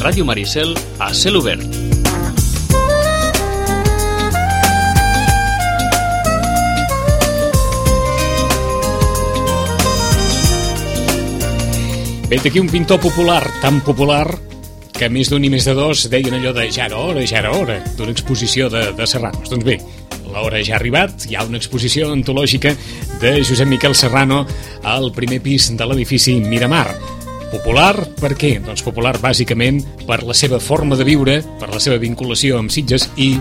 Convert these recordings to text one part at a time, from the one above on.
Ràdio Maricel a cel obert. Ve d'aquí un pintor popular, tan popular que més d'un i més de dos deien allò de ja era hora d'una exposició de Serranos. Doncs bé, l'hora ja ha arribat, hi ha una exposició antològica de Josep Miquel Serrano al primer pis de l'edifici Miramar. Popular per què? Doncs popular bàsicament per la seva forma de viure, per la seva vinculació amb Sitges i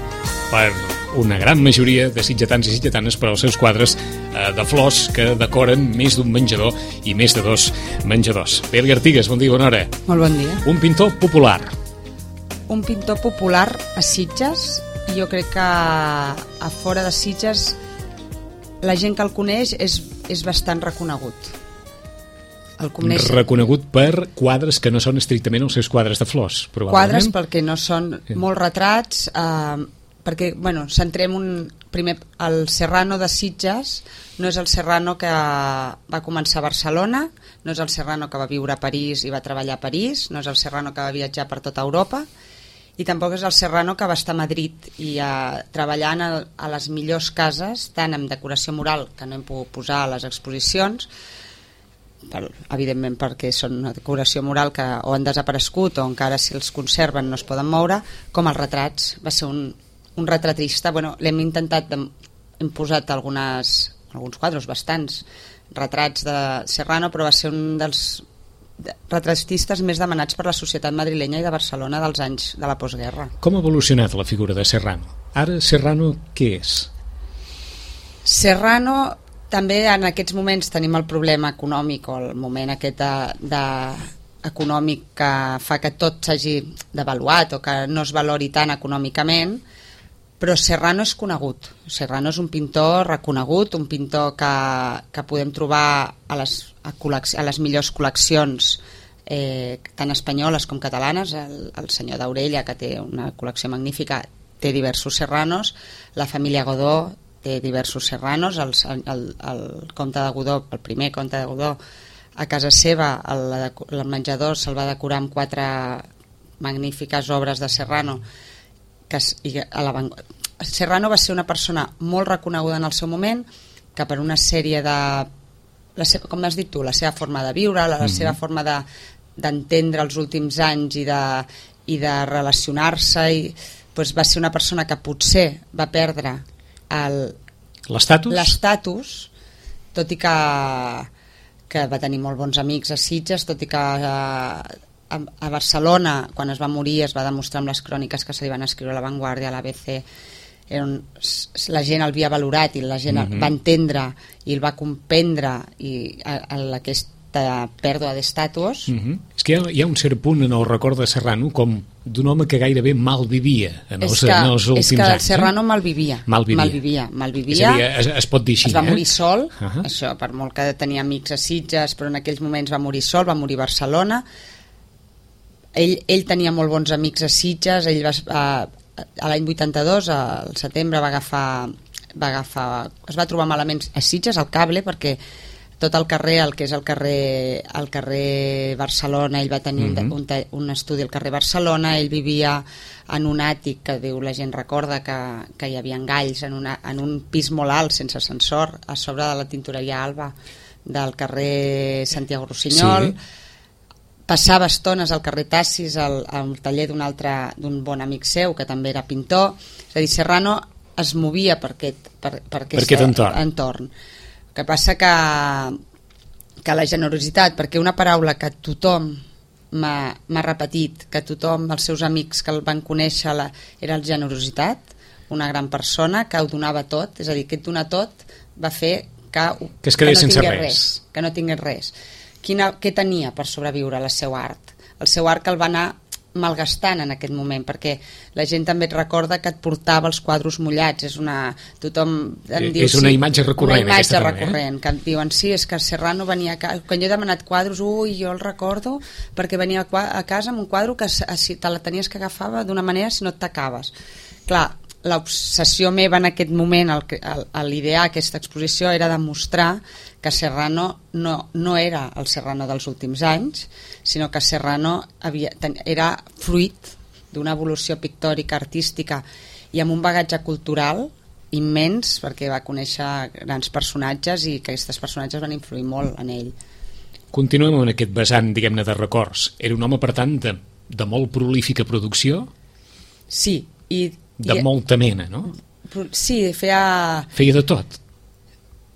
per una gran majoria de sitgetans i sitgetanes per als seus quadres de flors que decoren més d'un menjador i més de dos menjadors. Pere Artigas, bon dia, bona hora. Molt bon dia. Un pintor popular. Un pintor popular a Sitges, i jo crec que a fora de Sitges la gent que el coneix és bastant reconegut. Reconegut per quadres que no són estrictament els seus quadres de flors, probablement. Quadres perquè no són molts retrats, perquè, centrem primer, el Serrano de Sitges no és el Serrano que va començar a Barcelona, no és el Serrano que va viure a París i va treballar a París, no és el Serrano que va viatjar per tota Europa, i tampoc és el Serrano que va estar a Madrid i treballant a les millors cases, tant amb decoració mural, que no hem pogut posar a les exposicions, evidentment perquè són una decoració mural que o han desaparegut o encara si els conserven no es poden moure, com els retrats. Va ser un retratista, l'hem intentat, hem posat alguns quadres, bastants retrats de Serrano, però va ser un dels retratistes més demanats per la societat madrilenya i de Barcelona dels anys de la postguerra. Com ha evolucionat la figura de Serrano? Ara Serrano què és? Serrano, també en aquests moments tenim el problema econòmic o el moment aquest econòmic que fa que tot s'hagi devaluat o que no es valori tant econòmicament, però Serrano és conegut. Serrano és un pintor reconegut, un pintor que podem trobar a les millors col·leccions tant espanyoles com catalanes. El senyor d'Aurella, que té una col·lecció magnífica, té diversos Serranos, la família Godó té diversos Serranos, el comte de Godó, el primer comte de Godó, a casa seva el menjador se'l va decorar amb 4 magnífiques obres de Serrano. Serrano va ser una persona molt reconeguda en el seu moment, que per una sèrie de, com has dit tu, la seva forma de viure, la seva forma d'entendre els últims anys i de relacionar-se, va ser una persona que potser va perdre l'estatus, tot i que va tenir molt bons amics a Sitges, tot i que a Barcelona, quan es va morir, es va demostrar amb les cròniques que se li van escriure a La Vanguardia, a l'ABC, la gent el havia valorat i la gent el va entendre i el va comprendre aquesta pèrdua d'estatus. És que hi ha un cert punt en el record de Serrano com d'un home que gairebé malvivia en els últims anys. És que el Serrano malvivia. És a dir, es pot dir així. Es va morir sol, això, per molt que tenia amics a Sitges, però en aquells moments va morir sol, va morir a Barcelona. Ell tenia molt bons amics a Sitges, ell a l'any 82, al setembre, es va trobar malament a Sitges, al Cable, perquè tot el carrer, el que és el carrer Barcelona, ell va tenir un estudi al carrer Barcelona, ell vivia en un àtic que la gent recorda que hi havia galls en un pis molt alt, sense ascensor, a sobre de la tintoreria Alba del carrer Santiago Rossinyol. Passava estones al carrer Tassis, al taller d'un bon amic seu, que també era pintor. És a dir, Serrano es movia per aquest entorn. El que passa que la generositat, perquè una paraula que tothom m'ha repetit, que tothom, els seus amics que el van conèixer, era la generositat, una gran persona que ho donava tot, és a dir, que et donar tot va fer que no tingués res. Què tenia per sobreviure el seu art? El seu art que el va anar malgastant en aquest moment, perquè la gent també et recorda que et portava els quadros mullats. És una imatge recurrent. Una imatge recurrent, que et diuen, sí, és que Serrano venia a casa, quan jo he demanat quadros, jo el recordo perquè venia a casa amb un quadre que si te la tenies que agafar d'una manera si no et tacaves. Clar, l'obsessió meva en aquest moment, l'idear aquesta exposició era demostrar que Serrano no era el Serrano dels últims anys, sinó que Serrano era fruit d'una evolució pictòrica, artística i amb un bagatge cultural immens, perquè va conèixer grans personatges i que aquests personatges van influir molt en ell. Continuem en aquest vessant, diguem-ne, de records. Era un home, per tant, de molt prolífica producció? Sí. De molta mena, no? Sí, feia de tot.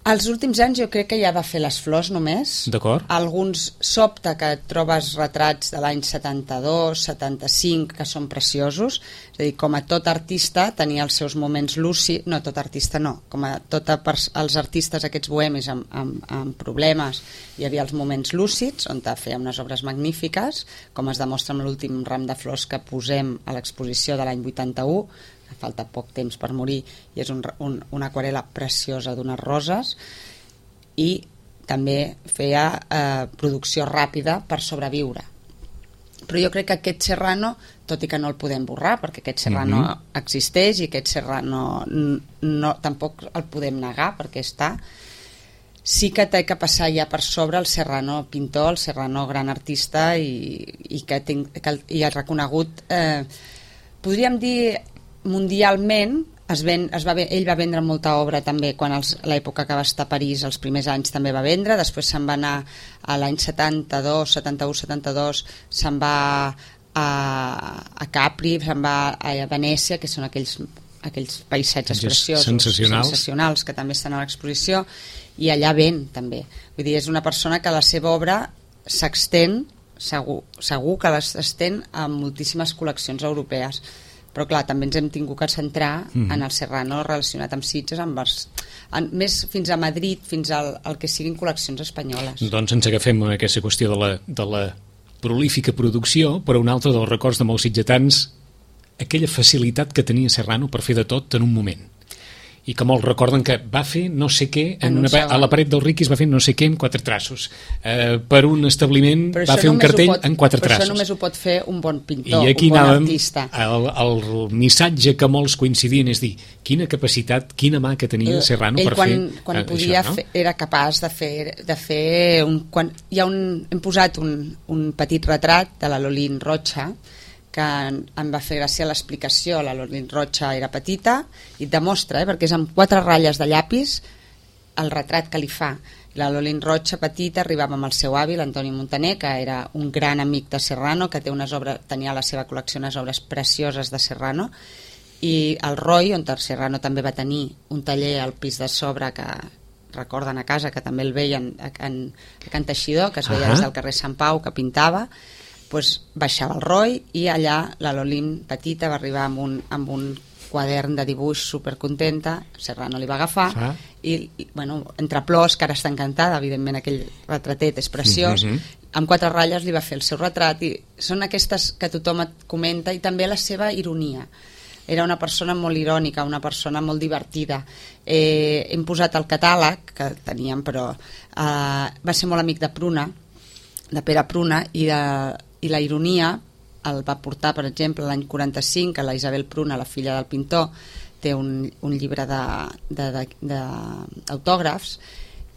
Els últims anys jo crec que ja va fer les flors només. D'acord. Alguns sobta que trobes retrats de l'any 72, 75, que són preciosos. És a dir, com a tot artista tenia els seus moments lúcids, no tot artista no, com a tots els artistes aquests bohemis amb problemes, hi havia els moments lúcids on feia unes obres magnífiques, com es demostra amb l'últim ram de flors que posem a l'exposició de l'any 81, falta poc temps per morir, i és una aquarel·la preciosa d'unes roses, i també feia producció ràpida per sobreviure. Però jo crec que aquest Serrano, tot i que no el podem borrar, perquè aquest Serrano existeix i aquest Serrano tampoc el podem negar perquè està, sí que té que passar ja per sobre el Serrano pintor, el Serrano gran artista i que ha reconegut, podríem dir mundialment. Ell va vendre molta obra també quan l'època que va estar a París, els primers anys també va vendre, després se'n va anar a l'any 72, 71, 72, se'n va a Capri, se'n va a Venècia, que són aquells paisatges preciosos, sensacionals, que també estan a l'exposició, i allà ven també. Vull dir, és una persona que la seva obra s'estén, segur que s'estén a moltíssimes col·leccions europees. Però clar, també ens hem tingut que centrar en el Serrano relacionat amb Sitges, més fins a Madrid, fins al que siguin col·leccions espanyoles. Doncs ens agafem a aquesta qüestió de la prolífica producció, però un altre dels records de molts sitgetans, aquella facilitat que tenia Serrano per fer de tot en un moment. I que molts recorden que va fer no sé què a la paret del Riquis, va fer no sé què en 4 traços. Per un establiment va fer un cartell en 4 traços. Però això només ho pot fer un bon pintor, un bon artista. El missatge que molts coincidien és dir, quina capacitat, quina mà que tenia Serrano per fer quan podia això, no? Era capaç de fer hem posat un petit retrat de la Lolín Rocha, que em va fer gràcia l'explicació. La Lolín Rocha era petita i et demostra, perquè és amb 4 ratlles de llapis el retrat que li fa. La Lolín Rocha petita arribava amb el seu avi, l'Antoni Montaner, que era un gran amic de Serrano, que tenia a la seva col·lecció unes obres precioses de Serrano, i el Roy, on Serrano també va tenir un taller al pis de sobre que recorden a casa, que també el veien a Can Teixidor, que es veia des del carrer Sant Pau, que pintava. Baixava el Roy i allà la Lolín petita va arribar amb un quadern de dibuix supercontenta. Serrano li va agafar i entre plors, que ara està encantada, evidentment aquell retratet és preciós, amb 4 ratlles li va fer el seu retrat, i són aquestes que tothom et comenta, i també la seva ironia. Era una persona molt irònica, una persona molt divertida. Hem posat el catàleg que teníem, però va ser molt amic de Pruna, de Pere Pruna, i la ironia el va portar, per exemple, l'any 45, que la Isabel Pruna, la filla del pintor, té un llibre d'autògrafs,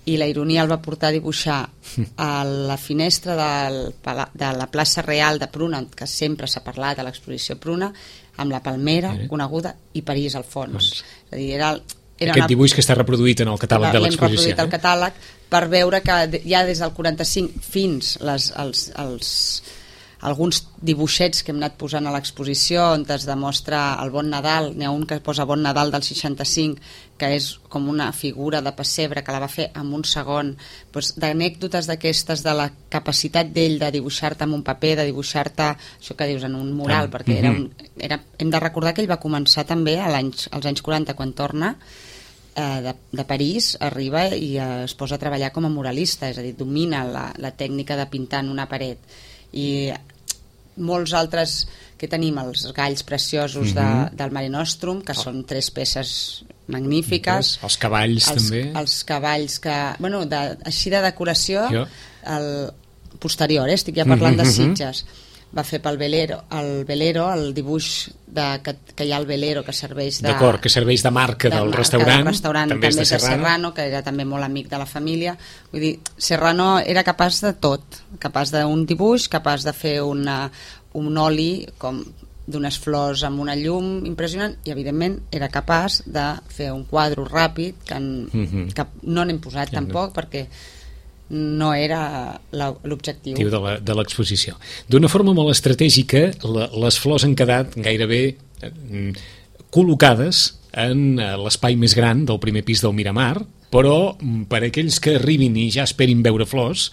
i la ironia el va portar a dibuixar a la finestra de la plaça Real de Pruna, que sempre s'ha parlat a l'exposició Pruna, amb la palmera coneguda i París al fons. És a dir, era aquest dibuix que està reproduït en el catàleg de l'exposició. L'hem reproduït al catàleg per veure que ja des del 45 fins alguns dibuixets que hem anat posant a l'exposició on es demostra el Bon Nadal. N'hi ha un que posa Bon Nadal del 65, que és com una figura de pessebre que la va fer en un segon, d'anècdotes d'aquestes, de la capacitat d'ell de dibuixar-te en un paper, de dibuixar-te això que dius en un mural, perquè hem de recordar que ell va començar també als anys 40, quan torna de París, arriba i es posa a treballar com a muralista, és a dir, domina la tècnica de pintar en una paret. I molts altres que tenim, els galls preciosos del Mare Nostrum, que són 3 peces magnífiques, els cavalls també, els cavalls que, així de decoració posterior, estic ja parlant de Sitges, va fer pel velero, el dibuix que hi ha al velero que serveix d'acord, que serveix de marca del restaurant, també és de Serrano, que era també molt amic de la família. Vull dir, Serrano era capaç de tot, capaç d'un dibuix, capaç de fer un oli com d'unes flors amb una llum impressionant, i evidentment era capaç de fer un quadre ràpid que no n'hem posat tampoc perquè no era l'objectiu de l'exposició. D'una forma molt estratègica, les flors han quedat gairebé col·locades en l'espai més gran del primer pis del Miramar, però per aquells que arribin i ja esperin veure flors,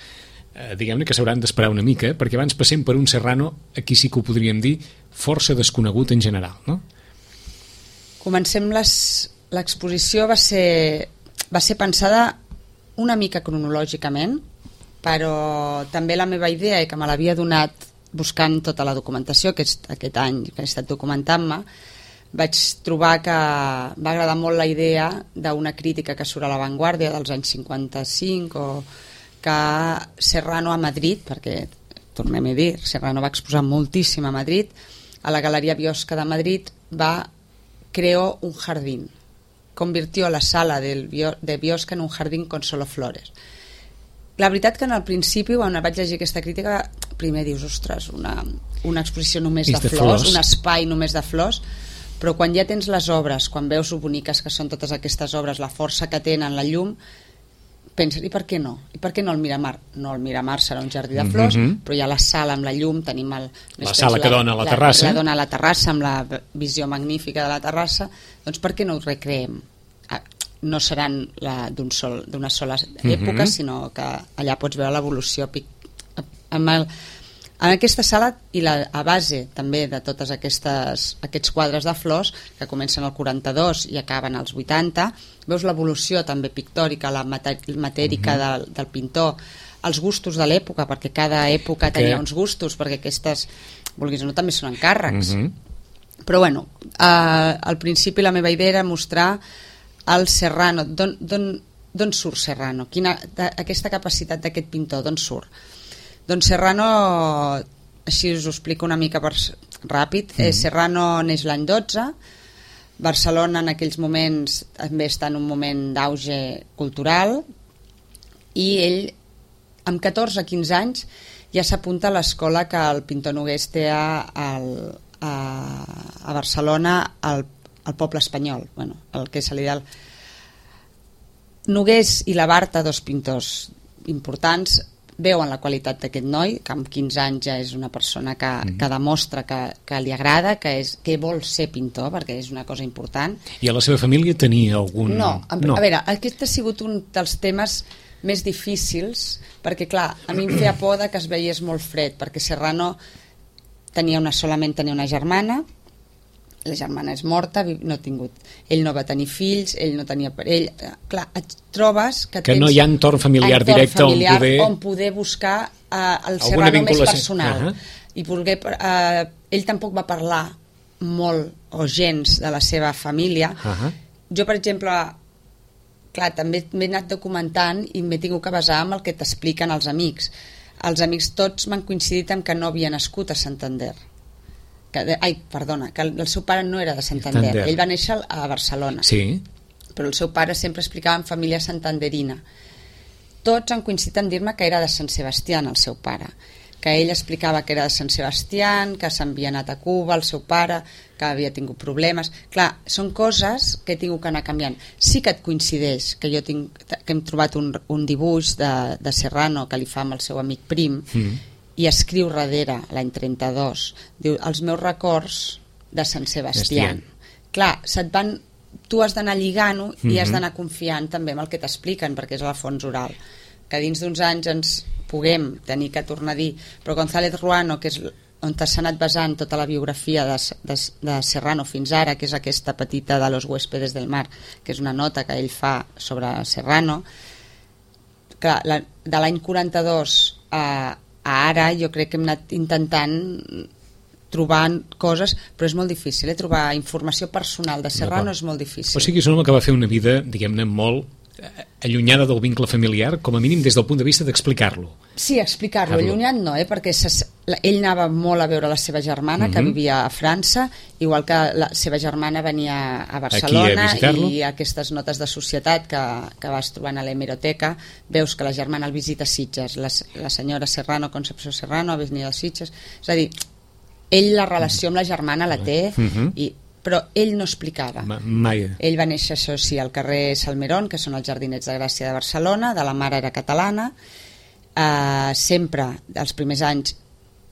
diguem-ne que s'hauran d'esperar una mica, perquè abans passem per un Serrano, aquí sí que ho podríem dir, força desconegut en general, no? Comencem l'exposició va ser pensada una mica cronològicament, però també la meva idea, que me l'havia donat buscant tota la documentació aquest any que he estat documentant-me, vaig trobar que va agradar molt la idea d'una crítica que surt a La Vanguardia dels anys 55, o que Serrano a Madrid, perquè tornem a dir, Serrano va exposar moltíssim a Madrid, a la Galeria Biosca de Madrid creó un jardín, convirtió la sala de Biosca en un jardín con solo flores. La veritat que en el principi, quan vaig llegir aquesta crítica, primer dius, ostres, una exposició només de flors, un espai només de flors, però quan ja tens les obres, quan veus lo boniques que són totes aquestes obres, la força que tenen, la llum, penses, i per què no? I per què no el Miramar? No, el Miramar serà un jardí de flors, però hi ha la sala amb la llum, tenim la sala que dona a la terrassa. La dona a la terrassa, amb la visió magnífica de la terrassa, doncs per què no ho recreem? No seran d'una sola època, sinó que allà pots veure l'evolució en aquesta sala, i a base també de tots aquests quadres de flors que comencen al 42 i acaben als 80, veus l'evolució també pictòrica, la matèrica del pintor, els gustos de l'època, perquè cada època tenia uns gustos, perquè aquestes, vulguis o no, també són encàrrecs. Però bueno, al principi la meva idea era mostrar el Serrano, d'on surt Serrano, aquesta capacitat d'aquest pintor, d'on surt? Doncs Serrano, així us ho explico una mica ràpid, Serrano neix l'any 12, Barcelona en aquells moments també està en un moment d'auge cultural, i ell amb 14-15 anys ja s'apunta a l'escola que el pintor Nogués té a Barcelona, al Poble Espanyol, el que se li da Nogués i la Barta, dos pintors importants, veuen la qualitat d'aquest noi, que amb 15 anys ja és una persona que demostra que li agrada, que vol ser pintor, perquè és una cosa important. I a la seva família tenia algun... No. A veure, aquest ha sigut un dels temes més difícils, perquè clar, a mi em feia por que es veiés molt fred, perquè Serrano solament tenia una germana, la germana és morta, ell no va tenir fills, ell no tenia parell, clar, et trobes que no hi ha entorn familiar directe on poder buscar el Serrano més personal. I ell tampoc va parlar molt o gens de la seva família. Jo, per exemple, clar, també m'he anat documentant i m'he tingut que basar en el que t'expliquen els amics. Els amics tots m'han coincidit en que no havia nascut a Santander. Que el seu pare no era de Santander. Ell va néixer a Barcelona, però el seu pare sempre explicava en família santanderina. Tots han coincidit en dir-me que era de Sant Sebastián el seu pare, que ell explicava que era de Sant Sebastián, que s'havia anat a Cuba el seu pare, que havia tingut problemes. Clar, són coses que he tingut que anar canviant. Sí que et coincideix que hem trobat un dibuix de Serrano que li fa amb el seu amic Prim, i escriu darrere, l'any 32, diu, els meus records de Sant Sebastián. Clar, tu has d'anar lligant-ho i has d'anar confiant també en el que t'expliquen, perquè és a la fons oral. Que dins d'uns anys ens puguem tenir que tornar a dir, però González Ruano, que és on s'ha anat basant tota la biografia de Serrano fins ara, que és aquesta petita de Los huéspedes del mar, que és una nota que ell fa sobre Serrano, clar, de l'any 42 a ara jo crec que hem anat intentant trobar coses, però és molt difícil, trobar informació personal de Serrano és molt difícil. O sigui, és un home que va fer una vida, diguem-ne, molt allunyada del vincle familiar, com a mínim des del punt de vista d'explicar-lo. Sí, explicar-lo, allunyat no, perquè ell anava molt a veure la seva germana, que vivia a França, igual que la seva germana venia a Barcelona, i aquestes notes de societat que vas trobant a l'hemeroteca, veus que la germana el visita a Sitges, la senyora Serrano, Concepció Serrano, ha venia a Sitges, és a dir, ell la relació amb la germana la té, però ell no explicava. Mai. Ell va néixer, això sí, al carrer Salmerón, que són els Jardinets de Gràcia de Barcelona, de la mare era catalana, sempre, els primers anys,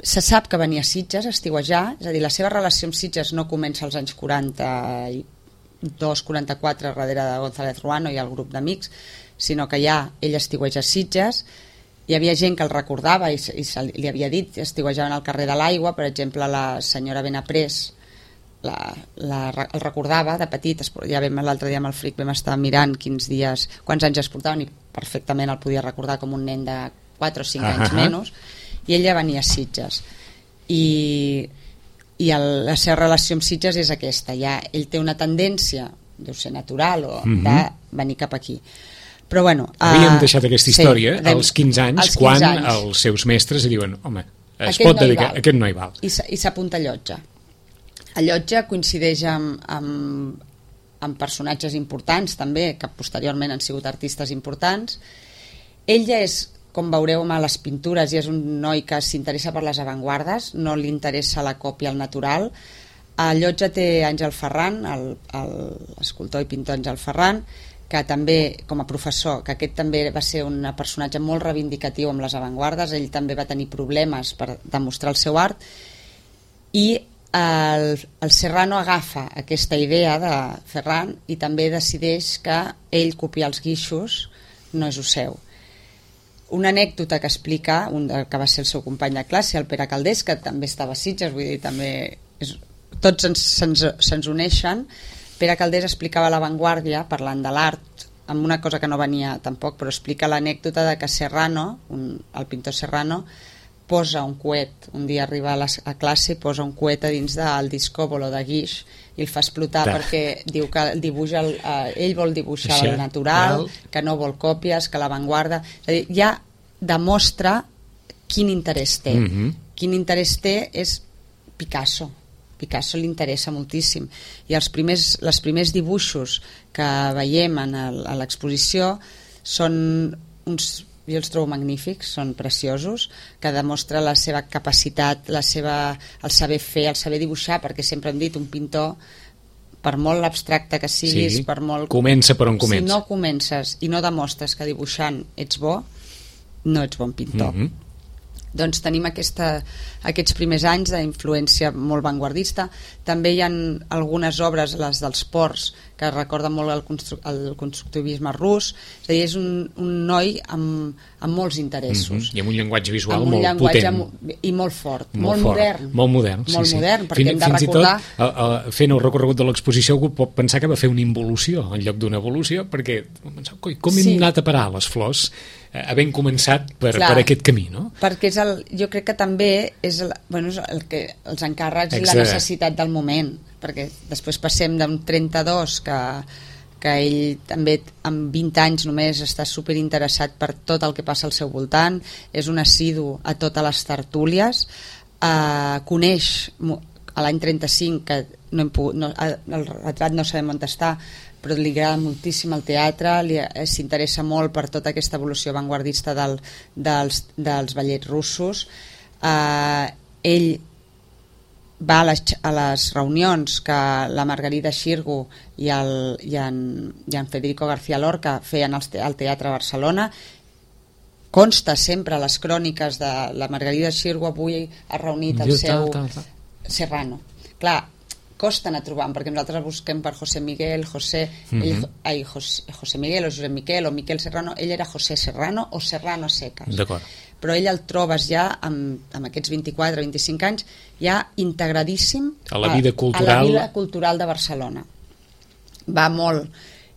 se sap que venia a Sitges a estiuejar, és a dir, la seva relació amb Sitges no comença als anys 42-44 darrere de González Ruano i el grup d'amics, sinó que ja ell estiueja a Sitges. Hi havia gent que el recordava i li havia dit, estiuejaven al carrer de l'Aigua, per exemple, la senyora Benaprés el recordava de petit, ja l'altre dia amb el Fric vam estar mirant quants anys es portaven i perfectament el podia recordar com un nen de 4 o 5 anys menys, i ella venia a Sitges i la seva relació amb Sitges és aquesta, ja ell té una tendència, deu ser natural o de venir cap aquí. Però bueno, havíem deixat aquesta història als 15 anys, quan els seus mestres diuen, home, es pot dedicar, aquest no hi val, i s'apunta a Llotja. A Llotja coincideix amb personatges importants també, que posteriorment han sigut artistes importants. Ell ja és, com veureu a les pintures, ja és un noi que s'interessa per les avantguardes, no li interessa la còpia al natural. A Llotja té Àngel Ferran, l'escultor i pintor Àngel Ferran, que també, com a professor, que aquest també va ser un personatge molt reivindicatiu amb les avantguardes, ell també va tenir problemes per demostrar el seu art, i el Serrano agafa aquesta idea de Ferran i també decideix que ell copiar els guixos no és el seu. Una anècdota que explica que va ser el seu company de classe, el Pere Caldés, que també estava a Sitges, vull dir, també tots se'ns uneixen. Pere Caldés explicava a l'Avantguàrdia, parlant de l'art, amb una cosa que no venia tampoc, però explica l'anècdota de que Serrano, el pintor Serrano, posa un coet, un dia arriba a classe i posa un coet a dins del discòbolo de guix i el fa explotar perquè diu que ell vol dibuixar el natural, que no vol còpies, que l'avantguarda, és a dir, ja demostra quin interès té. Quin interès té és Picasso li interessa moltíssim, i els primers dibuixos que veiem a l'exposició són uns, jo els trobo magnífics, són preciosos, que demostra la seva capacitat, el saber fer, el saber dibuixar, perquè sempre hem dit, un pintor, per molt abstracte que siguis, per molt... Comença per on comença. Si no comences i no demostres que dibuixant ets bo, no ets bon pintor. Doncs tenim aquests primers anys d'influència molt vanguardista. També hi ha algunes obres, les dels Ports, que recorden molt el constructivisme rus. És a dir, és un noi amb molts interessos. I amb un llenguatge visual molt potent. I molt fort, molt modern. Molt modern, sí. Molt modern, perquè hem de recordar... Fins i tot, fent el recorregut de l'exposició, algú pot pensar que va fer una involució en lloc d'una evolució, perquè com hem anat a parar les flors havent començat per aquest camí, no? Perquè jo crec que també és el que els encàrrecs i la necessitat del moment, perquè després passem d'un 32 que ell també amb 20 anys només està superinteressat per tot el que passa al seu voltant, és un assidu a totes les tertúlies, coneix a l'any 35 que el retrat no sabem on està, però li agrada moltíssim el teatre, s'interessa molt per tota aquesta evolució avantguardista dels ballets russos. Ell va a les reunions que la Margarida Xirgu i en Federico García Lorca feien al Teatre Barcelona. Consta sempre a les cròniques de la Margarida Xirgu, avui ha reunit el seu Serrano. Clar, costa anar trobant, perquè nosaltres busquem per José Miguel, José Miguel o Josep Miquel o Miquel Serrano. Ell era José Serrano o Serrano Secas. D'acord. Però ell el trobes ja amb aquests 24-25 anys ja integradíssim a la vida cultural de Barcelona. Va molt,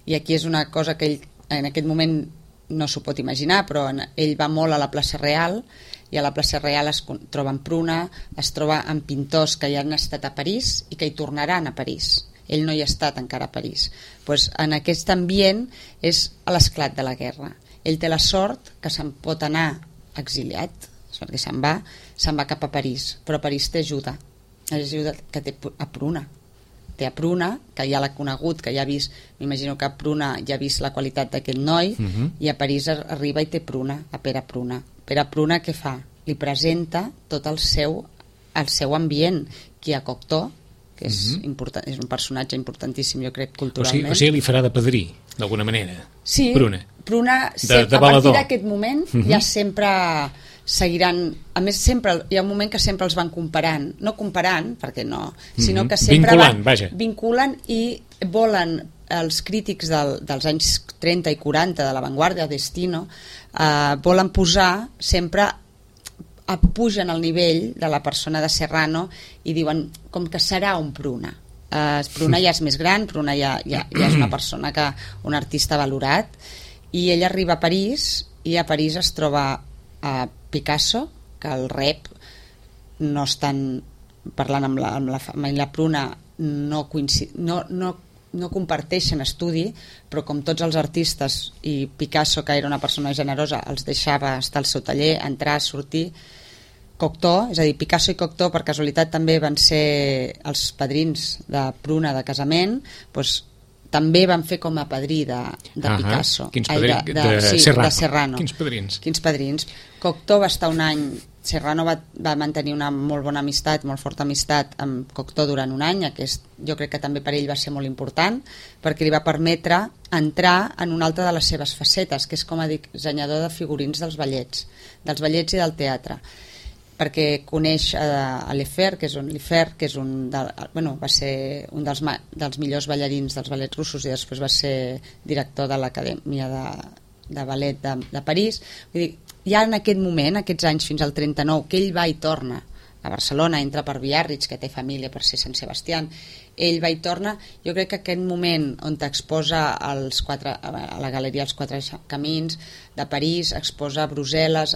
i aquí és una cosa que ell en aquest moment no s'ho pot imaginar, però ell va molt a la plaça Real, i a la plaça Real es troba amb Pruna, es troba amb pintors que ja han estat a París i que hi tornaran a París. ell no hi ha estat encara a París. Pues en aquest ambient és l'esclat de la guerra. Ell té la sort que se'n pot anar exiliat, perquè se'n va cap a París, però París té ajuda que té a Pruna. Té a Pruna, que ja l'ha conegut, que ja ha vist, m'imagino que a Pruna ja ha vist la qualitat d'aquest noi, i a París arriba i té Pruna, a Pere Pruna. Pere Pruna què fa? Li presenta tot el seu ambient, qui a Cocteau, que és important, és un personatge importantíssim, jo crec, culturalment. O sigui, li farà de padrí, d'alguna manera. Sí, Pruna a partir d'aquest moment ja sempre seguiran, a més sempre hi ha un moment que sempre els van comparant, no comparant perquè no, sinó que sempre vinculen i volen els crítics dels anys 30 i 40 de l'avantguàrdia, Destino, volen posar sempre, pugen al nivell de la persona de Serrano i diuen com que serà un Pruna. Pruna ja és més gran, Pruna ja és una persona un artista valorat, i ell arriba a París i a París es troba a Picasso, que el rep no estan parlant amb la Pruna, no comparteixen estudi, però com tots els artistes, i Picasso, que era una persona generosa, els deixava estar al seu taller, entrar, sortir. Cocteau, és a dir, Picasso i Cocteau per casualitat també van ser els padrins de Pruna de casament, doncs també van fer com a padrí de Picasso. De Serrano. Quins padrins? Cocteau va estar un any, Serrano va mantenir una molt bona amistat, molt forta amistat amb Cocteau durant un any, jo crec que també per ell va ser molt important, perquè li va permetre entrar en una altra de les seves facetes, que és com a dissenyador de figurins dels ballets i del teatre, perquè coneix a Lefebvre, que és va ser un dels millors ballarins dels ballets russos i després va ser director de l'Acadèmia de Ballet de París. Vull dir, ja en aquest moment, aquests anys fins al 39, que ell va i torna a Barcelona, entra per Biarritz, que té família per ser Sant Sebastián, ell va i torna, jo crec que aquest moment on t'exposa a la galeria Els Quatre Camins de París, exposa a Brussel·les,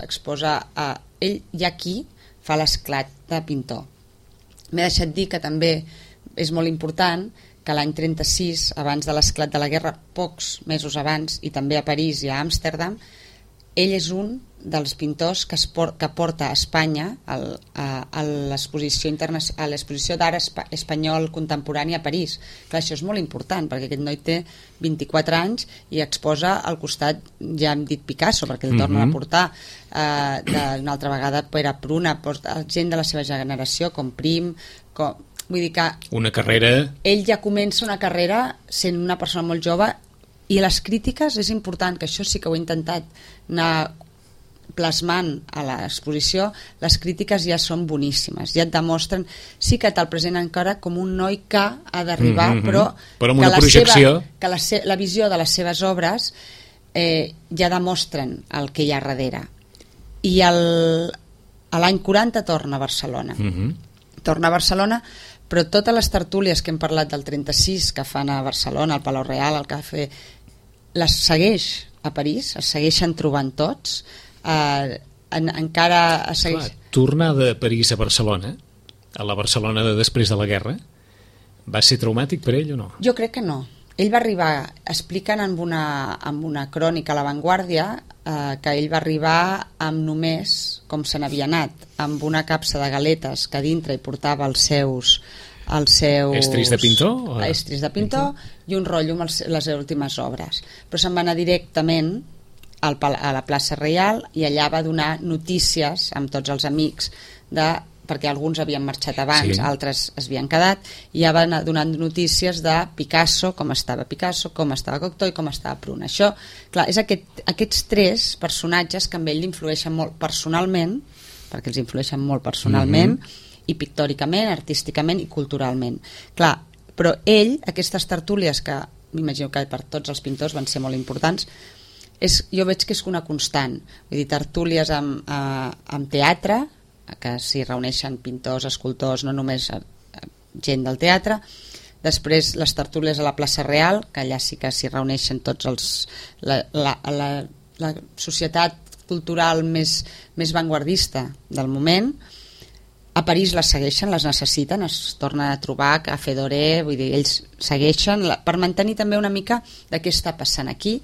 ell ja aquí fa l'esclat de pintor. M'he deixat dir que també és molt important que l'any 36, abans de l'esclat de la guerra, pocs mesos abans, i també a París i a Amsterdam, ell és un dels pintors que porta a Espanya a l'exposició d'art espanyol contemporani a París. Clar, això és molt important, perquè aquest noi té 24 anys i exposa al costat, ja hem dit Picasso, perquè el torna a portar una altra vegada Pere Pruna, gent de la seva generació, com Prim, vull dir que una carrera... Ell ja comença una carrera sent una persona molt jove, i les crítiques és important, que això sí que ho he intentat anar plasmant a l'exposició, les crítiques ja són boníssimes, ja et demostren, sí que te'l presenten encara com un noi que ha d'arribar, però amb una projecció, que la visió de les seves obres ja demostren el que hi ha darrere. I l'any 40 torna a Barcelona. Torna a Barcelona, però totes les tertúlies que hem parlat del 36 que fan a Barcelona, al Palau Real, al Cafè, les segueix a París, es segueixen trobant tots, encara es segueix... Tornar de París a Barcelona, a la Barcelona de després de la guerra, va ser traumàtic per ell o no? Jo crec que no. Ell va arribar, expliquen amb una crònica a l'Avantguàrdia, que ell va arribar amb només, com se n'havia anat, amb una capsa de galetes que a dintre hi portava els seus estris de pintor? Estris de pintor i un rotllo amb les últimes obres. Però se'n va anar directament a la plaça Reial i allà va donar notícies amb tots els amics perquè alguns havien marxat abans, altres es havien quedat, i ja van donant notícies de Picasso, com estava Cocteau i com estava Pruna. Això, clar, és aquests tres personatges que amb ell l'influeixen molt personalment, perquè els influeixen molt personalment, i pictòricament, artísticament i culturalment. Clar, però ell, aquestes tertúlies que m'imagino que per tots els pintors van ser molt importants, jo veig que és una constant. Vull dir, tertúlies amb teatre, que s'hi reuneixen pintors, escultors, no només gent del teatre. Després les tertúlies a la plaça Real, que allà sí que s'hi reuneixen tots la societat cultural més vanguardista del moment. A París les segueixen, les necessiten, es tornen a trobar a Fedoré, vull dir, ells segueixen per mantenir també una mica de què està passant aquí,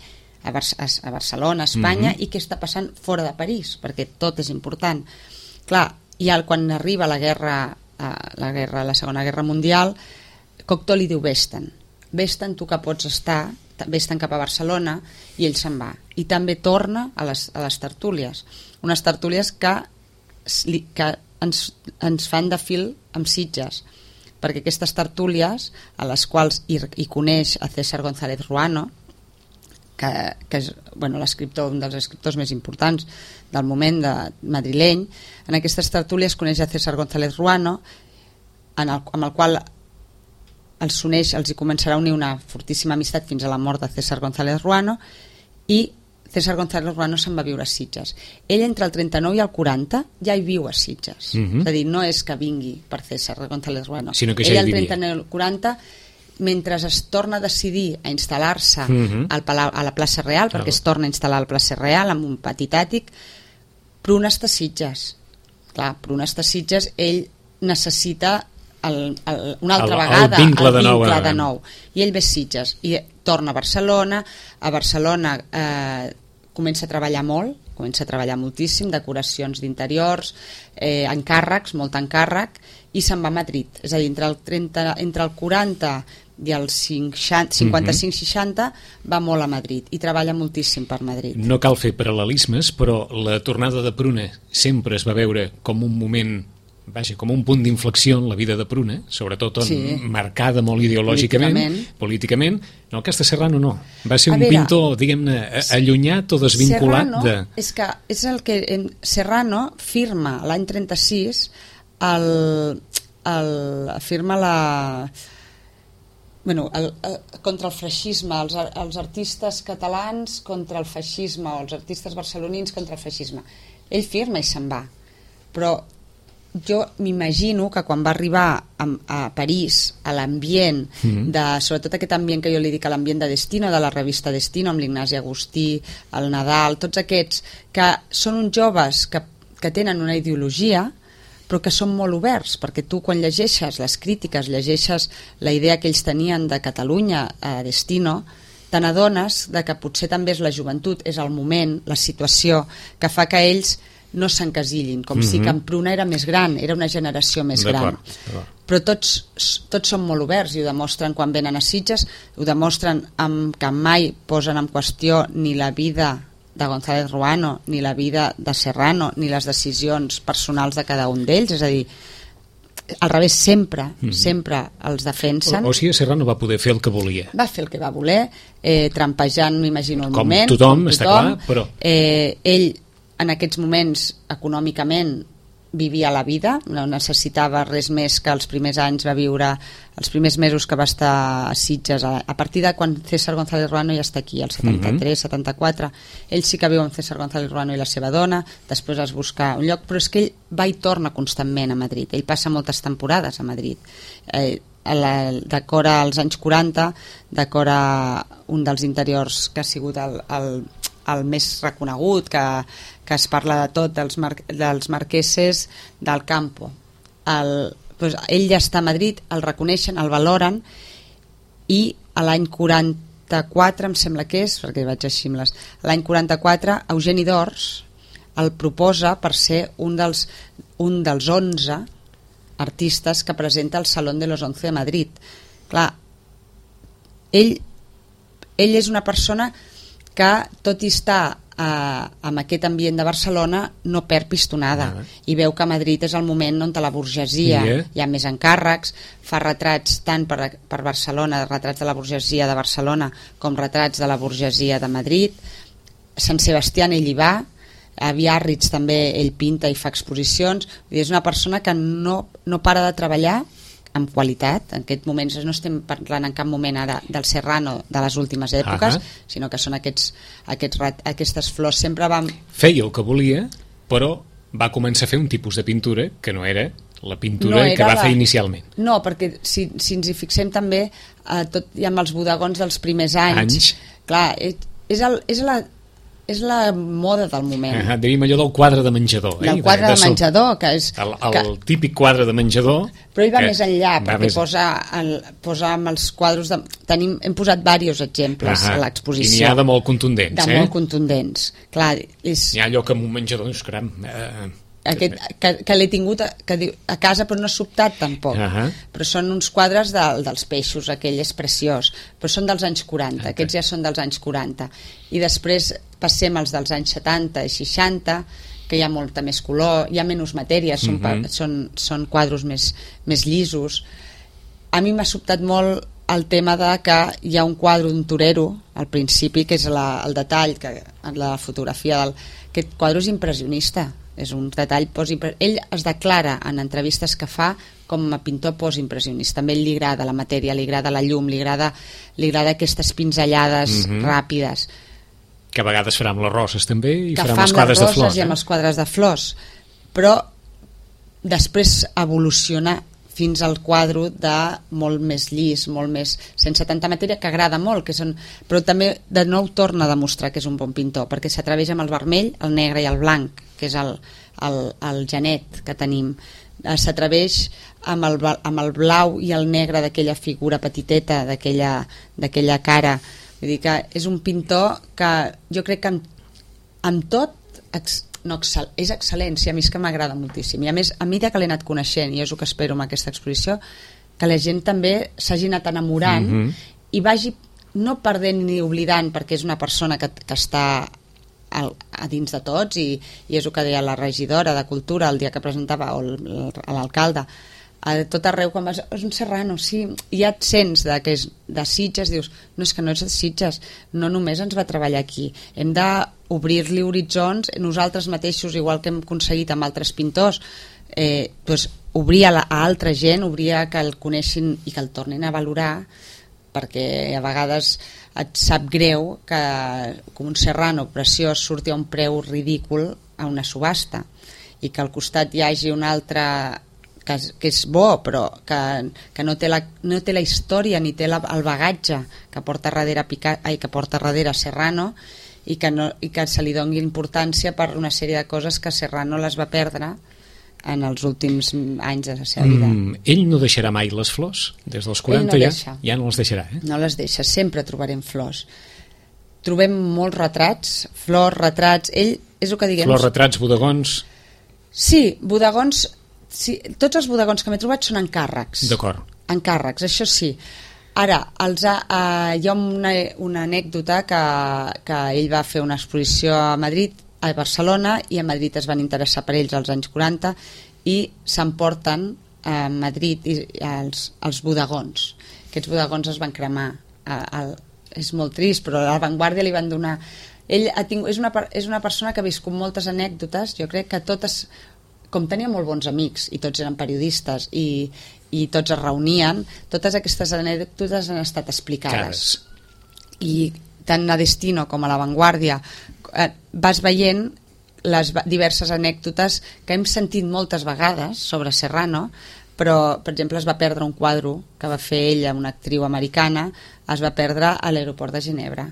a Barcelona, a Espanya, i què està passant fora de París, perquè tot és important. Clar, i quan arriba la Segona Guerra Mundial, Cocteau li diu vés-te'n, tu que pots estar, vés-te'n cap a Barcelona, i ell se'n va. I també torna a les tertúlies, unes tertúlies que ens fan de fil amb Sitges, perquè aquestes tertúlies a les quals hi coneix a César González Ruano, que és un dels escriptors més importants del moment madrileny. En aquestes tertúlies coneix a César González Ruano, amb el qual els hi començarà a unir una fortíssima amistat fins a la mort de César González Ruano, i César González Ruano se'n va viure a Sitges. Ell entre el 39 i el 40 ja hi viu a Sitges. És a dir, no és que vingui per César González Ruano. Sinó que ja ell al 39 i el 40, mentre es torna a decidir a instal·lar-se a la plaça Real, perquè es torna a instal·lar a la plaça Real amb un petit àtic, Pruna està a Sitges. Clar, Pruna està a Sitges, ell necessita una altra vegada el vincle de nou, i ell ve a Sitges i torna a Barcelona. A Barcelona comença a treballar moltíssim, decoracions d'interiors, encàrrecs, molt encàrrec, i se'n va a Madrid. És a dir, entre el 40 i el 55-60 va molt a Madrid i treballa moltíssim per Madrid. No cal fer paral·lelismes, però la tornada de Pruna sempre es va veure com un moment, com un punt d'inflexió en la vida de Pruna, sobretot marcada molt ideològicament, políticament. No, aquesta Serrano no. Va ser un pintor, diguem-ne, allunyat o desvinculat de... És que és el que Serrano firma l'any 36, firma contra el feixisme, els artistes catalans contra el feixisme, o els artistes barcelonins contra el feixisme. Ell firma i se'n va. Però jo m'imagino que quan va arribar a París, a l'ambient, sobretot aquest ambient que jo li dic, l'ambient de Destino, de la revista Destino, amb l'Ignasi Agustí, el Nadal, tots aquests, que són uns joves que tenen una ideologia, però que són molt oberts, perquè tu quan llegeixes les crítiques, llegeixes la idea que ells tenien de Catalunya a Destino, te n'adones que potser també és la joventut, és el moment, la situació, que fa que ells no s'encasillin, com si que en Pruna era més gran, era una generació més gran. Però tots són molt oberts i ho demostren quan venen a Sitges, ho demostren que mai posen en qüestió ni la vida de González Ruano, ni la vida de Serrano, ni les decisions personals de cada un d'ells, és a dir, al revés, sempre els defensen. O sigui, Serrano va poder fer el que volia. Va fer el que va voler, trampejant, m'imagino, el moment. Com tothom, està clar, però... Ell, en aquests moments, econòmicament, vivia la vida, no necessitava res més que els primers anys va viure, els primers mesos que va estar a Sitges, a partir de quan César González Ruano ja està aquí, el 73, 74, ell sí que viu amb César González Ruano i la seva dona, després es busca un lloc, però és que ell va i torna constantment a Madrid, ell passa moltes temporades a Madrid, decora als anys 40, decora un dels interiors que ha sigut el més reconegut, que es parla de tot, dels marqueses del Campo. Ell ja està a Madrid, el reconeixen, el valoren, i a l'any 44, em sembla que és, perquè vaig així amb l'any 44, Eugeni d'Ors el proposa per ser un dels 11 artistes que presenta el Salón de los 11 de Madrid. Clar, ell és una persona que, tot i estar amb aquest ambient de Barcelona, no perd pistonada, i veu que a Madrid és el moment on la burgesia hi ha més encàrrecs, fa retrats tant per Barcelona, retrats de la burgesia de Barcelona com retrats de la burgesia de Madrid. Sant Sebastià ell hi va, a Biarritz també ell pinta i fa exposicions. És una persona que no para de treballar amb qualitat. En aquest moment no estem parlant en cap moment ara del Serrano de les últimes èpoques, sinó que són aquestes flors. Sempre feia el que volia, però va començar a fer un tipus de pintura que no era la pintura que va fer inicialment. No, perquè si ens hi fixem també, tot i amb els bodegons dels primers anys. Clar, és és la moda del moment. Diríem allò del quadre de menjador. Del quadre de menjador, que és... El típic quadre de menjador... Però ell va més enllà, perquè posa amb els quadres... Hem posat diversos exemples a l'exposició. I n'hi ha de molt contundents, molt contundents. Clar, n'hi ha allò que en un menjador, doncs, caram... que l'he tingut a casa, però no ha sobtat tampoc. Però són uns quadres dels peixos, aquell és preciós, però són dels anys 40, aquests ja són dels anys 40. I després passem als dels anys 70 i 60, que hi ha molta més color, hi ha menys matèria, són quadres més llisos. A mi m'ha sobtat molt el tema de que hi ha un quadre d'un torero al principi, que és el detall, la fotografia aquest quadre és impressionista, és un detall ell es declara en entrevistes que fa com a pintor postimpressionista. També li agrada la matèria, li agrada la llum, li agrada aquestes pinzellades ràpides, que a vegades farà amb les roses també, i que farà amb els quadres de flors, i amb els quadres de flors, però després evoluciona fins al quadre de molt més llis, molt més sense tanta matèria, que agrada molt, però també de nou torna a demostrar que és un bon pintor, perquè s'atreveix amb el vermell, el negre i el blanc, que és el genet que tenim. S'atreveix amb el blau i el negre d'aquella figura petiteta, d'aquella cara. Vull dir que és un pintor que jo crec que amb tot és excel·lència, a mi és que m'agrada moltíssim, i a més, a mesura que l'he anat coneixent, i és el que espero amb aquesta exposició, que la gent també s'hagi anat enamorant i vagi no perdent ni oblidant, perquè és una persona que està a dins de tots, i és el que deia la regidora de Cultura el dia que presentava, o l'alcalde, a tot arreu, quan vas, és un Serrano, sí, i ja et sents de Sitges, dius, no, és que no és de Sitges, no només ens va treballar aquí, hem d'obrir-li horitzons nosaltres mateixos, igual que hem aconseguit amb altres pintors, doncs obrir a altra gent, obrir a que el coneixin i que el tornin a valorar, perquè a vegades et sap greu que com un Serrano preciós surti a un preu ridícul a una subhasta, i que al costat hi hagi un altre que és bo, però que no té la història ni té el bagatge que porta darrere Serrano, i que se li doni importància per una sèrie de coses que Serrano les va perdre en els últims anys de la seva vida. Ell no deixarà mai les flors? Des dels 40 ja no les deixarà, No les deixa, sempre trobarem flors. Trobem molts retrats, flors, retrats, ell és el que diguem... Flors, retrats, bodegons... Sí, bodegons... Sí, tots els bodegons que m'he trobat són encàrrecs. D'acord. Encàrrecs, això sí. Ara, hi ha una anècdota que ell va fer una exposició a Madrid, a Barcelona, i a Madrid es van interessar per ells als anys 40 i s'emporten a Madrid els bodegons. Aquests bodegons es van cremar. És molt trist, però a l'Avantguàrdia li van donar... Ell és una persona que ha viscut moltes anècdotes, jo crec que totes... Com tenia molt bons amics i tots eren periodistes i tots es reunien, totes aquestes anècdotes han estat explicades. I tant a Destino com a l'Avantguàrdia vas veient les diverses anècdotes que hem sentit moltes vegades sobre Serrano, però per exemple es va perdre un quadre que va fer ella, una actriu americana, es va perdre a l'aeroport de Ginebra.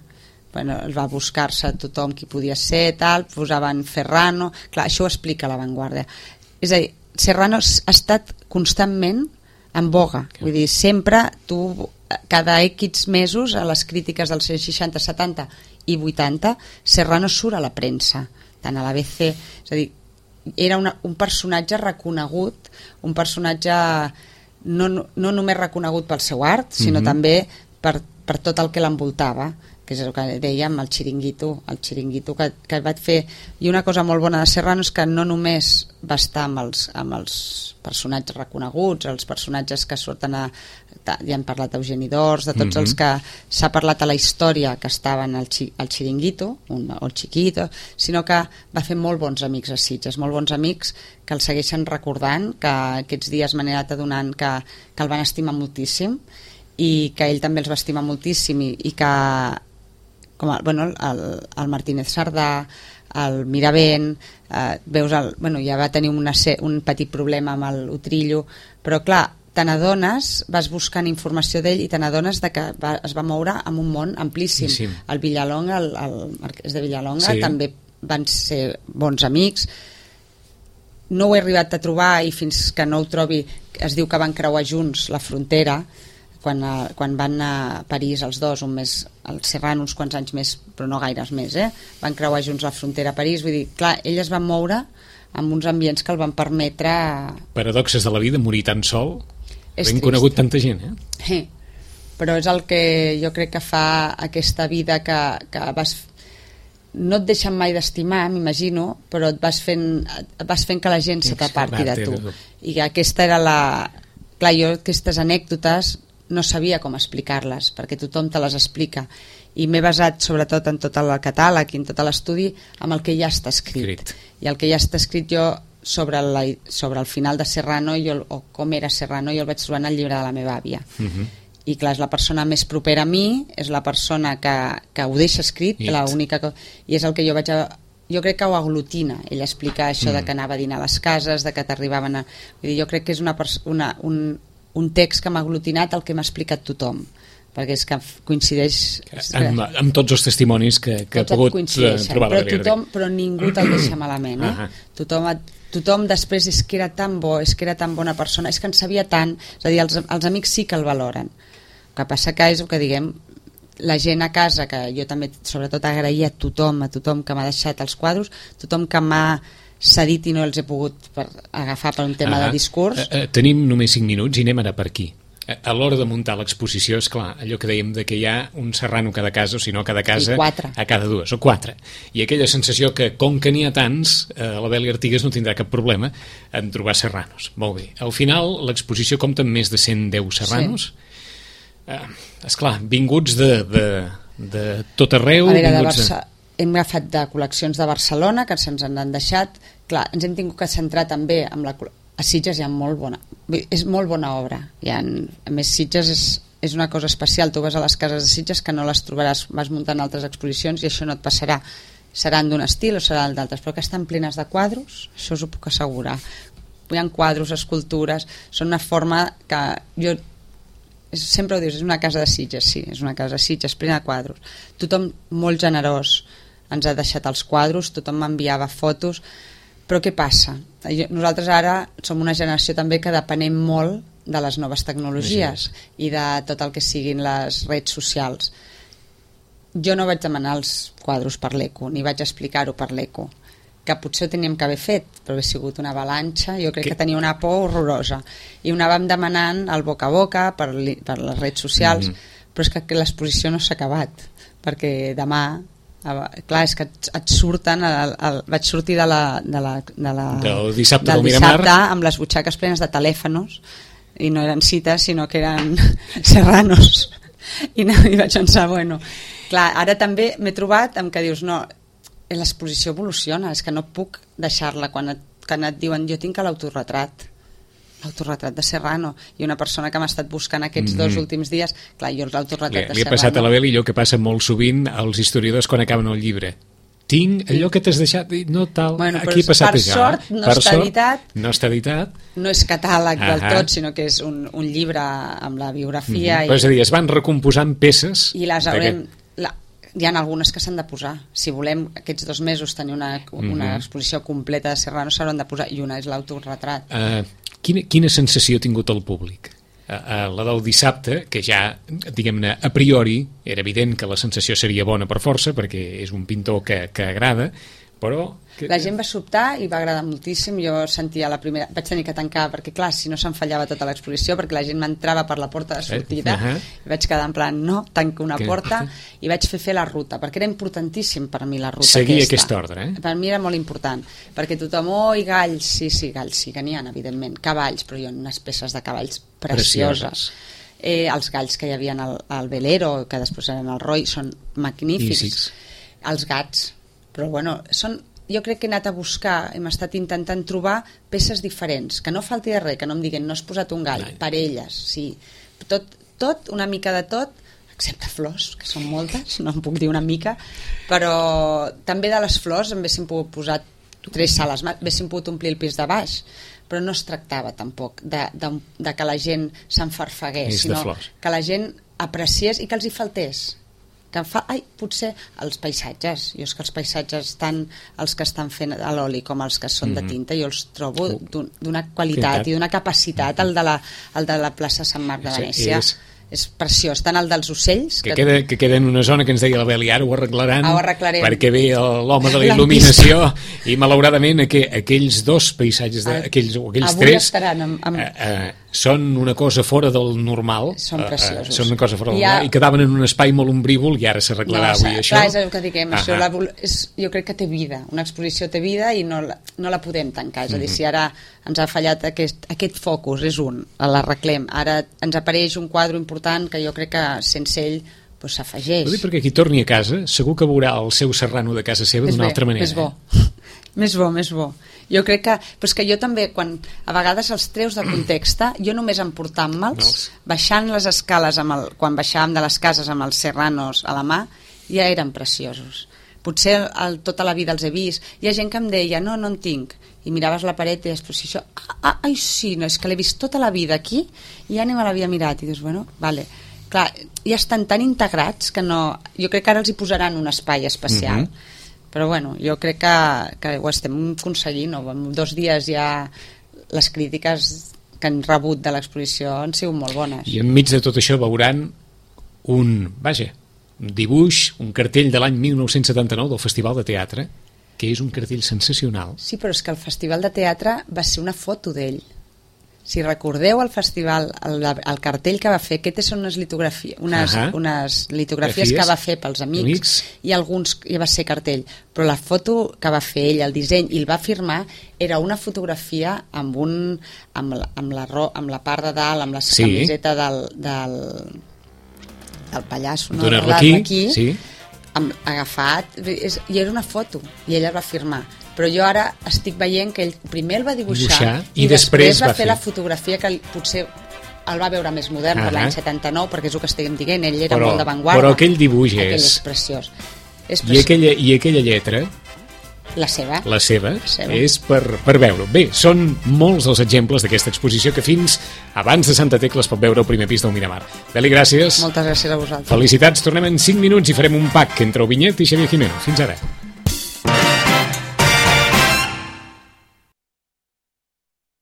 Es va buscar-se tothom qui podia ser, posaven Ferrano, clar, això ho explica l'Avantguàrdia. És a dir, Serrano ha estat constantment en boga, vull dir, sempre cada X mesos a les crítiques dels 60, 70 i 80, Serrano surt a la premsa, tant a l'ABC, és a dir, era un personatge reconegut, un personatge no només reconegut pel seu art, sinó també per tot el que l'envoltava, que és el que dèiem, el xiringuito que vaig fer. I una cosa molt bona de Serrano és que no només va estar amb els personatges reconeguts, els personatges que surten ja hem parlat d'Eugeni d'Ors, de tots els que s'ha parlat a la història que estaven al xiringuito o el chiquito, sinó que va fer molt bons amics a Sitges, molt bons amics que el segueixen recordant, que aquests dies m'han anat adonant que el van estimar moltíssim i que ell també els va estimar moltíssim i que com el Martínez Sardà, el Miravent, veus ja va tenir un petit problema amb l'Utrillo, però clar, te n'adones, vas buscant informació d'ell i te n'adones que es va moure en un món amplíssim. Sí. El Villalonga, el marquès de Villalonga, sí, també van ser bons amics. No ho he arribat a trobar i fins que no ho trobi, es diu que van creuar junts la frontera quan van a París els dos, un mes al Serrano, uns quants anys més, però no gaires més, van creuar junts la frontera a París. Vull dir, clar, ell es va moure en uns ambients que el van permetre... Paradoxes de la vida, morir tan sol. Hem conegut tanta gent, Però és el que jo crec que fa aquesta vida que vas... No et deixen mai d'estimar, m'imagino, però et vas fent que la gent se t'aparti de tu. I aquesta era la... Clar, jo aquestes anècdotes no sabia com explicar-les, perquè tothom te les explica. I m'he basat sobretot en tot el catàleg i en tot l'estudi amb el que ja està escrit. I el que ja està escrit jo sobre el final de Serrano o com era Serrano, jo el vaig trobar en el llibre de la meva àvia. I clar, és la persona més propera a mi, és la persona que ho deixa escrit, i és el que jo vaig jo crec que ho aglutina, ell explica això de que anava a dinar a les cases, de que t'arribaven a... Vull dir, jo crec que és un text que m'ha aglutinat el que m'ha explicat tothom, perquè és que coincideix... Amb tots els testimonis que he pogut trobar a la biblioteca. Però ningú te'l deixa malament, Tothom després és que era tan bo, és que era tan bona persona, és que en sabia tant, és a dir, els amics sí que el valoren. El que passa que és el que diguem, la gent a casa, que jo també sobretot agraïa a tothom que m'ha deixat els quadros, tothom que m'ha cedit i no els he pogut agafar per un tema de discurs. Tenim només 5 minuts i anem ara per aquí. A l'hora de muntar l'exposició, és clar, allò que dèiem de que hi ha un serrano a cada casa, o si no a cada casa, a cada dues, o 4. I aquella sensació que, com que n'hi ha tants, la Beli Artigas no tindrà cap problema en trobar serranos. Molt bé. Al final, l'exposició compta amb més de 110 serranos. Esclar, vinguts de tot arreu. Hem agafat de col·leccions de Barcelona, que se'ns han deixat. Clar, ens hem tingut que centrar també amb a Sitges hi ha és molt bona obra. A més, Sitges és una cosa especial. Tu vas a les cases de Sitges que no les trobaràs, vas muntant altres exposicions i això no et passarà. Seran d'un estil o seran d'altres, però que estan plenes de quadros, això us ho puc assegurar. Hi ha quadros, escultures, són una forma que jo sempre ho dius, és una casa de Sitges, sí, és una casa de Sitges plena de quadros. Tothom molt generós ens ha deixat els quadros, tothom m'enviava fotos. Però què passa? Nosaltres ara som una generació també que depenem molt de les noves tecnologies i de tot el que siguin les redes socials. Jo no vaig demanar els quadros per l'ECO, ni vaig explicar-ho per l'ECO, que potser ho teníem que haver fet, però ha sigut una avalanxa, jo crec que tenia una por horrorosa. I ho anàvem demanant al boca a boca, per les redes socials, però és que l'exposició no s'ha acabat, perquè demà... Clar, és que et surten vaig sortir del dissabte amb les butxaques plenes de telèfons i no eren cites sinó que eren serranos i vaig pensar, bueno clar, ara també m'he trobat amb que dius no, l'exposició evoluciona, és que no puc deixar-la quan et diuen jo tinc l'autoretrat de Serrano i una persona que m'ha estat buscant aquests 2 últims dies, clar, jo l'autoretrat de Serrano... Li ha passat a la Beli allò que passa molt sovint als historiadors quan acaben el llibre. Tinc allò que t'has deixat, no tal, aquí ha passat això. Per sort no està editat. No està editat. No és catàleg del tot, sinó que és un llibre amb la biografia. Però és a dir, es van recomposant peces... I les haurem... Hi ha algunes que s'han de posar. Si volem aquests 2 mesos tenir una exposició completa de Serrano s'hauran de posar, i una és l'autoretrat. Quina sensació ha tingut el públic? La del dissabte, que ja, diguem-ne, a priori, era evident que la sensació seria bona per força, perquè és un pintor que agrada, però... La gent va sobtar i va agradar moltíssim. Jo sentia la primera... Vaig tenir que tancar, perquè clar, si no se'n fallava tota l'exposició, perquè la gent m'entrava per la porta de sortida, i vaig quedar en plan, no, tanco una porta, i vaig fer la ruta, perquè era importantíssim per mi la ruta seguir aquest ordre, Per mi era molt important, perquè tothom, i galls, sí, galls, sí que n'hi ha, evidentment, cavalls, però hi ha unes peces de cavalls precioses. Els galls que hi havia al velero, que després eren el Roy, són magnífics. Els gats, però bueno, jo crec que he anat a buscar, hem estat intentant trobar peces diferents, que no falti de res, que no em diguin no has posat un gall, parelles, sí, tot, una mica de tot, excepte flors, que són moltes, no em puc dir una mica, però també de les flors en haguéssim pogut posar 3 sales, haguéssim pogut omplir el pis de baix, però no es tractava tampoc de que la gent s'enfarfegués, sinó que la gent apreciés i que els hi faltés. Que potser els paisatges, jo és que els paisatges, tant els que estan fent a l'oli com els que són de tinta, jo els trobo d'una qualitat i d'una capacitat, el de la plaça Sant Marc de Venècia és preciós, tant el dels ocells que queda en una zona que ens deia la Beli, ara ho arreglarem perquè ve l'home de la il·luminació i malauradament aquells dos paisatges aquells tres són una cosa fora del normal, són preciosos, són una cosa fora del normal i quedaven en un espai molt ombrívol i ara s'arreglarà avui això. Clar, és el que diguem, això jo crec que té vida, una exposició té vida i no la podem tancar, és a dir, si ara ens ha fallat aquest focus, és l'arreglem, ara ens apareix un quadre important que jo crec que sense ell s'afegeix. Ho dic perquè qui torni a casa segur que veurà el seu Serrano de casa seva d'una altra manera. Més bo. Jo crec que... Però és que jo també, quan a vegades els treus de context, jo només emportant-me'ls, baixant les escales, quan baixàvem de les cases amb els serranos a la mà, ja eren preciosos. Potser tota la vida els he vist. Hi ha gent que em deia, no en tinc. I miraves la paret i deies, però si això... Ai, sí, no, és que l'he vist tota la vida aquí i ja ni me l'havia mirat. I dius, bueno, vale... Clar, ja estan tan integrats que no... Jo crec que ara els hi posaran un espai especial. Però bueno, jo crec que ho estem aconseguint. En 2 dies ja les crítiques que han rebut de l'exposició han sigut molt bones. I enmig de tot això veuran un dibuix, un cartell de l'any 1979 del Festival de Teatre, que és un cartell sensacional. Sí, però és que el Festival de Teatre va ser una foto d'ell. Si recordeu el festival, el cartell que va fer, aquestes són unes litografies que va fer pels amics i alguns ja va ser cartell, però la foto que va fer ell, el disseny, i el va firmar, era una fotografia amb la part de dalt, amb la camiseta del pallasso, d'un arlequí, agafat, i era una foto, i ell el va firmar. Però jo ara estic veient que ell primer el va dibuixar i després va fer la fotografia que potser el va veure més modern per l'any 79, perquè és el que estem dient, ell era molt d'avantguarda. Però aquell dibuix és preciós. I aquella lletra, la seva és per veure. Bé, són molts els exemples d'aquesta exposició que fins abans de Santa Tecla es pot veure al primer pis del Miramar. Beli, gràcies. Moltes gràcies a vosaltres. Felicitats, tornem en 5 minuts i farem un pack entre el Vinyet i Xavier Jimeno. Fins ara.